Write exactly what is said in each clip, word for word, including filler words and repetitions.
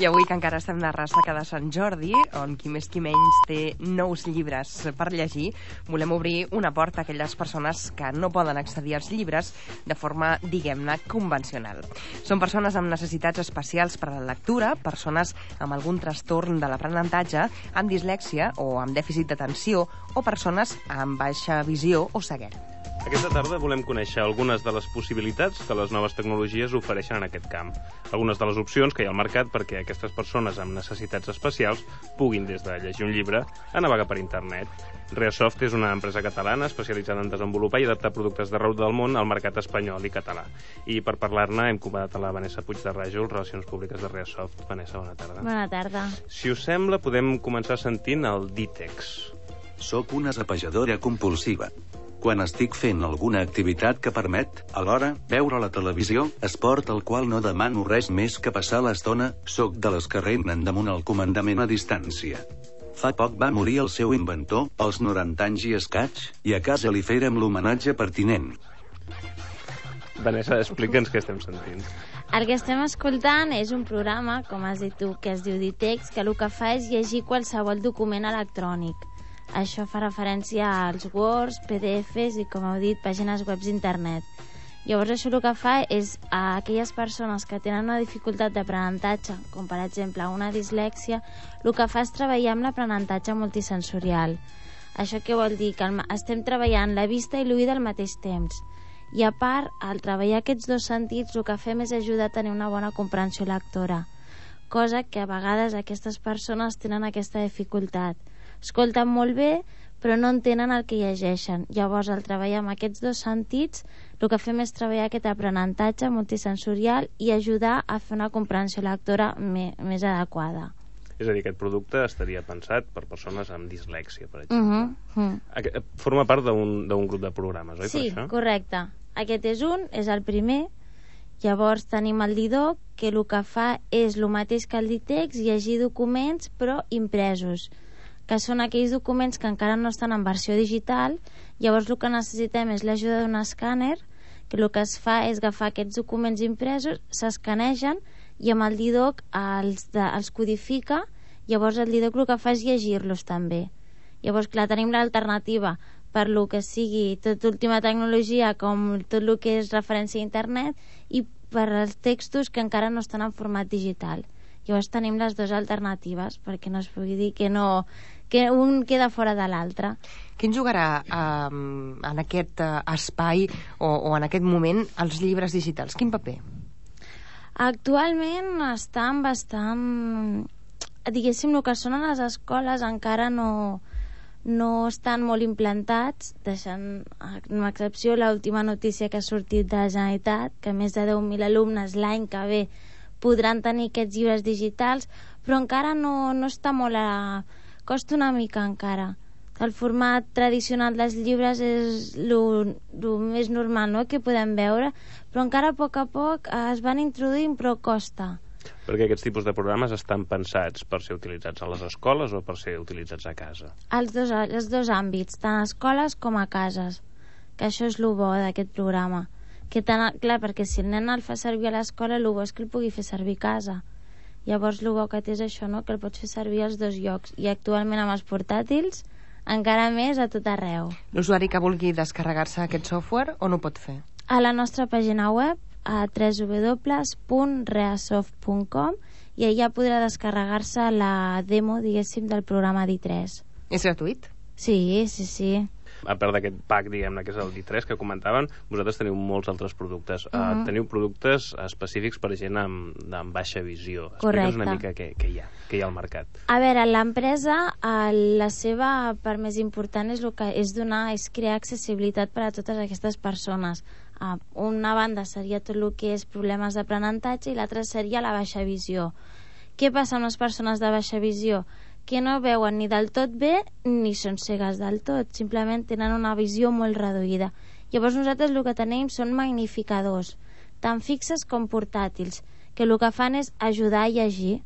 I avui, que encara estem de ressaca de Sant Jordi, on qui més qui menys té nous llibres per llegir, volem obrir una porta a aquelles persones que no poden accedir als llibres de forma, diguem-ne, convencional. Són persones amb necessitats especials per a la lectura, persones amb algun trastorn de l'aprenentatge, amb dislèxia o amb dèficit d'atenció, o persones amb baixa visió o ceguera. Aquesta tarda volem conèixer algunes de les possibilitats que les noves tecnologies ofereixen en aquest camp. Algunes de les opcions que hi ha al mercat perquè aquestes persones amb necessitats especials puguin, des de llegir un llibre, a navegar per internet. Reasoft és una empresa catalana especialitzada en desenvolupar i adaptar productes d'arreu del món al mercat espanyol i català. I per parlar-ne hem convidat a la Vanessa Puig de Ràjol, Relacions Públiques de Reasoft. Vanessa, bona tarda. Bona tarda. Si us sembla, podem començar sentint el Dítex. Soc una zapejadora compulsiva. Quan estic fent alguna activitat que permet, alhora, veure la televisió, esport al qual no demano res més que passar l'estona, soc de les que regnen damunt el comandament a distància. Fa poc va morir el seu inventor, als noranta anys i escaig, i a casa li fèrem l'homenatge pertinent. Vanessa, explica'ns què estem sentint. El que estem escoltant és un programa, com has dit tu, que es diu Dítex, que el que fa és llegir qualsevol document electrònic. Això fa referència als Words, P D Fs i, com heu dit, pàgines web d'internet. Llavors, això el que fa és a aquelles persones que tenen una dificultat d'aprenentatge, com per exemple una dislèxia, el que fa és treballar amb l'aprenentatge multisensorial. Això què vol dir? Que estem treballant la vista i l'oïda al mateix temps. I a part, al treballar aquests dos sentits, el que fem és ajudar a tenir una bona comprensió lectora, cosa que a vegades aquestes persones tenen aquesta dificultat. Escolten molt bé, però no entenen el que llegeixen. Llavors, al treballar amb aquests dos sentits, el que fem és treballar aquest aprenentatge multisensorial i ajudar a fer una comprensió lectora me- més adequada. És a dir, aquest producte estaria pensat per persones amb dislèxia, per exemple. Uh -huh. Aqu- Forma part d'un d'un grup de programes, oi, Sí, per això? correcte. Aquest és un, és el primer. Llavors tenim el Didoc, que el que fa és el mateix que el Dítex, llegir documents, però impresos, que són aquells documents que encara no estan en versió digital. Llavors el que necessitem és l'ajuda d'un escàner, que el que es fa és agafar aquests documents impresos, s'escanegen i amb el Didoc els, de, els codifica. Llavors el Didoc el que fa és llegir-los també. Llavors, clar, tenim l'alternativa per lo que sigui tot última tecnologia, com tot el que és referència a internet, i per als textos que encara no estan en format digital. Llavors tenim les dues alternatives, perquè no es pugui dir que no, que un queda fora de l'altre. Qui en jugarà eh, en aquest eh, espai o, o en aquest moment els llibres digitals? Quin paper? Actualment estan bastant... Diguéssim, el que són a les escoles encara no, no estan molt implantats, deixant amb excepció l'última notícia que ha sortit de la Generalitat, que més de deu mil alumnes l'any que ve podran tenir aquests llibres digitals, però encara no, no està molt a... costa una mica encara. El format tradicional dels llibres és el més normal, no?, que podem veure, però encara a poc a poc es van introduint, però costa. Perquè aquests tipus de programes estan pensats per ser utilitzats a les escoles o per ser utilitzats a casa? Els dos, els dos àmbits, tant a escoles com a cases, que això és el bo d'aquest programa. Que tant, clar, perquè si el nen el fa servir a l'escola, el bo és que el pugui fer servir a casa. Llavors el bo que té és això, no?, que el pots fer servir als dos llocs, i actualment amb els portàtils encara més a tot arreu. L'usuari que vulgui descarregar-se aquest software on ho pot fer? A la nostra pàgina web, a w w w punt reasoft punt com, i allà podrà descarregar-se la demo, diguéssim, del programa D tres. És gratuït? Sí, sí, sí. A part d'aquest pack, diguem-ne, que és el D tres que comentaven, vosaltres teniu molts altres productes. Uh -huh. uh, teniu productes específics per gent amb, amb baixa visió. Explica'ns una mica què, què hi ha, què hi ha al mercat. A veure, l'empresa, la seva part més important és, el que, és donar, és crear accessibilitat per a totes aquestes persones. Uh, una banda seria tot el que és problemes d'aprenentatge i l'altra seria la baixa visió. Què passa amb les persones de baixa visió? Que no veuen ni del tot bé ni són cegues del tot, simplement tenen una visió molt reduïda. Llavors nosaltres el que tenim són magnificadors, tant fixes com portàtils, que el que fan és ajudar a llegir,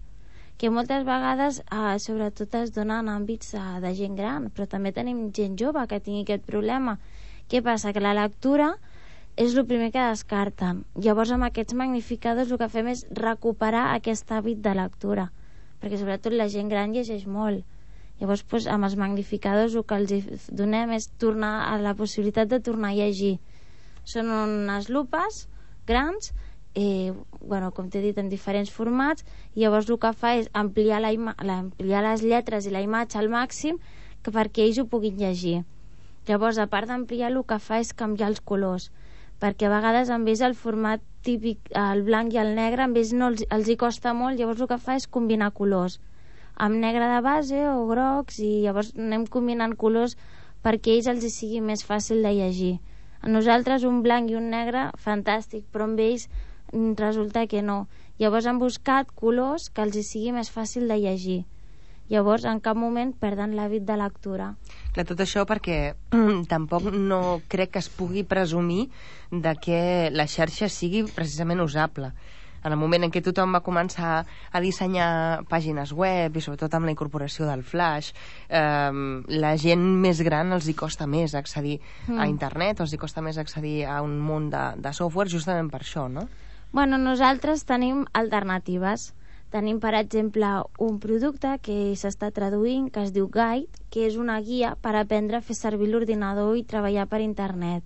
que moltes vegades, eh, sobretot es dona en àmbits eh, de gent gran, però també tenim gent jove que tingui aquest problema. Què passa? Que la lectura és el primer que descarten. Llavors, amb aquests magnificadors el que fem és recuperar aquest hàbit de lectura, perquè sobretot la gent gran llegeix molt. Llavors, doncs, amb els magnificadors el que els donem és tornar a la possibilitat de tornar a llegir. Són unes lupes grans, eh, bueno, com t'he dit, en diferents formats, i llavors el que fa és ampliar, la ima la, ampliar les lletres i la imatge al màxim que perquè ells ho puguin llegir. Llavors, a part d'ampliar, el que fa és canviar els colors, perquè a vegades en vez el format típic, el blanc i el negre, en vez no els, els hi costa molt, llavors el que fa és combinar colors, amb negre de base o grocs, i llavors anem combinant colors perquè a ells els hi sigui més fàcil de llegir. A nosaltres un blanc i un negre, fantàstic, però amb ells resulta que no. Llavors han buscat colors que els hi sigui més fàcil de llegir. Llavors, en cap moment perden l'hàbit de lectura. Clar, tot això perquè tampoc no crec que es pugui presumir de que la xarxa sigui precisament usable. En el moment en què tothom va començar a dissenyar pàgines web i sobretot amb la incorporació del flash, eh, la gent més gran els hi costa més accedir mm. a internet, o els hi costa més accedir a un munt de, de software justament per això, no? Bueno, nosaltres tenim alternatives. Tenim, per exemple, un producte que s'està traduint, que es diu Guide, que és una guia per aprendre a fer servir l'ordinador i treballar per internet,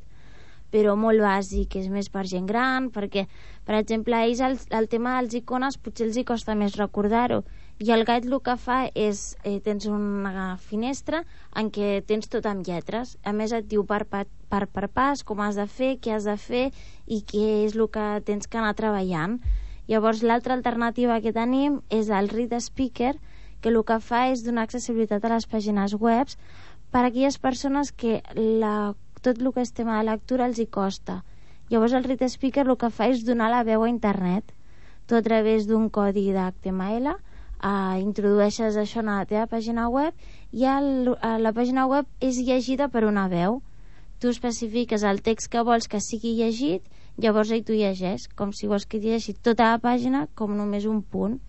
però molt bàsic, és més per gent gran, perquè, per exemple, a ells el, el tema dels icones potser els hi costa més recordar-ho, i el Guide el que fa és, eh, tens una finestra en què tens tot amb lletres, a més et diu per, per, per, per pas com has de fer, què has de fer i què és el que tens que anar treballant. Llavors, l'altra alternativa que tenim és el Read Speaker, que el que fa és donar accessibilitat a les pàgines web per a aquelles persones que la, tot el que és tema de lectura els hi costa. Llavors, el Read Speaker el que fa és donar la veu a internet, tot a través d'un codi d'H T M L, eh, introdueixes això a la teva pàgina web i el, la pàgina web és llegida per una veu. Tu especifiques el text que vols que sigui llegit, llavors ell t'ho llegeix, com si vols que llegeixi tota la pàgina com només un punt.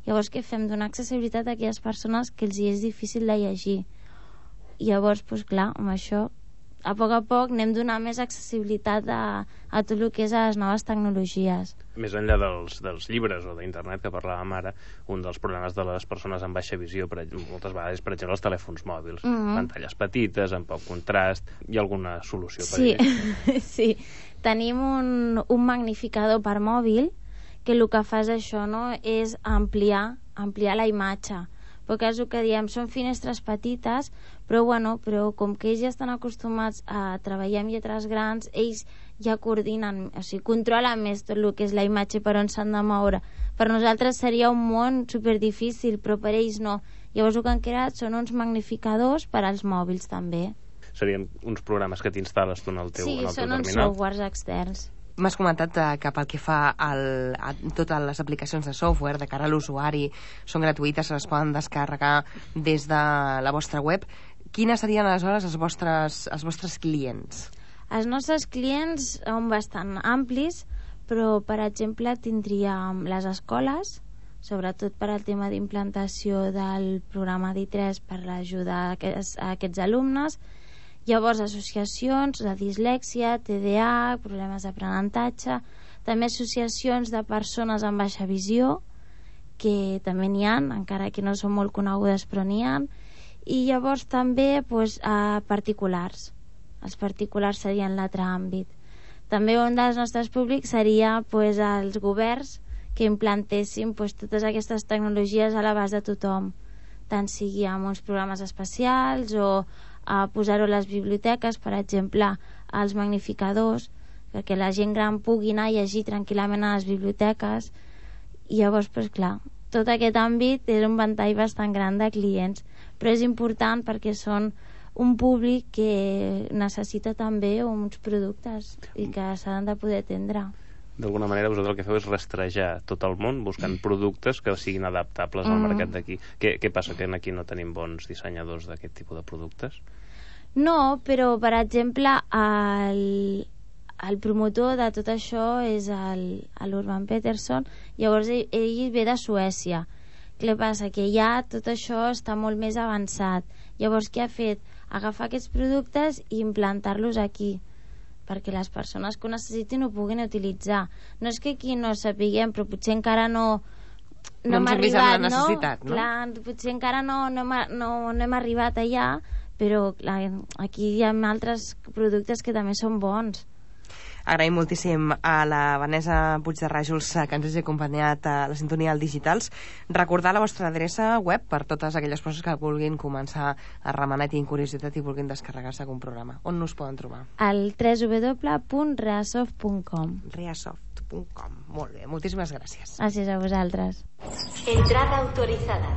Llavors què fem? Donar accessibilitat a aquelles persones que els hi és difícil de llegir. I llavors, doncs clar, amb això, a poc a poc anem donant més accessibilitat a, a tot el que és a les noves tecnologies. Més enllà dels, dels llibres o d'internet que parlàvem ara, un dels problemes de les persones amb baixa visió, per, moltes vegades, per exemple, els telèfons mòbils, mm-hmm. pantalles petites, amb poc contrast. Hi ha alguna solució per sí. ells? Sí, tenim un, un magnificador per mòbil que el que fa és això, no? És ampliar, ampliar la imatge, perquè és el que diem, són finestres petites, però bueno, però com que ells ja estan acostumats a treballar amb lletres grans, ells ja coordinen, o sigui, controlen més tot el que és la imatge per on s'han de moure. Per nosaltres seria un món superdifícil, però per ells no. Llavors el que han creat són uns magnificadors per als mòbils també. Serien uns programes que t'instal·les tu en el teu, sí, en el teu terminal? Sí, són uns softwares externs. M'has comentat que pel que fa al, a totes les aplicacions de software de cara a l'usuari són gratuïtes, se les poden descarregar des de la vostra web. Quines serien aleshores els vostres, els vostres clients? Els nostres clients són bastant amplis, però per exemple tindríem les escoles, sobretot per al tema d'implantació del programa d'I tres per ajudar a aquests, a aquests alumnes. Llavors, associacions de dislèxia, T D A, problemes d'aprenentatge, també associacions de persones amb baixa visió, que també n'hi ha, encara que no són molt conegudes, però n'hi ha. I llavors també doncs, a particulars. Els particulars serien l'altre àmbit. També un dels nostres públics seria doncs, els governs que implantessin doncs, totes aquestes tecnologies a l'abast de tothom, tant sigui amb uns programes especials o a posar-ho a les biblioteques, per exemple, als magnificadors, perquè la gent gran pugui anar a llegir tranquil·lament a les biblioteques. I llavors, doncs, clar, tot aquest àmbit és un ventall bastant gran de clients, però és important perquè són un públic que necessita també uns productes i que s'han de poder atendre. D'alguna manera vosaltres el que feu és rastrejar tot el món buscant productes que siguin adaptables al Mm. mercat d'aquí. Què, què passa, que aquí no tenim bons dissenyadors d'aquest tipus de productes? No, però per exemple el, el promotor de tot això és l'Urban Peterson, llavors ell, ell ve de Suècia. Què passa? Que ja tot això està molt més avançat. Llavors què ha fet? Agafar aquests productes i implantar-los aquí, perquè les persones que ho necessitin ho puguin utilitzar. No és que aquí no sapiguem, però potser encara no no, no hem arribat, no? no? Clar, potser encara no, no, hem, no, no hem arribat allà, però clar, aquí hi ha altres productes que també són bons. Agraïm moltíssim a la Vanessa Puig de Ràjols que ens hagi acompanyat a la sintonia del Digitals. Recordar la vostra adreça web per totes aquelles persones que vulguin començar a remenar i tinguin curiositat i vulguin descarregar-se algun programa. On us poden trobar? Al w w w punt reasoft punt com. reasoft punt com. Molt bé, moltíssimes gràcies. Gràcies a vosaltres. Entrada autorizada.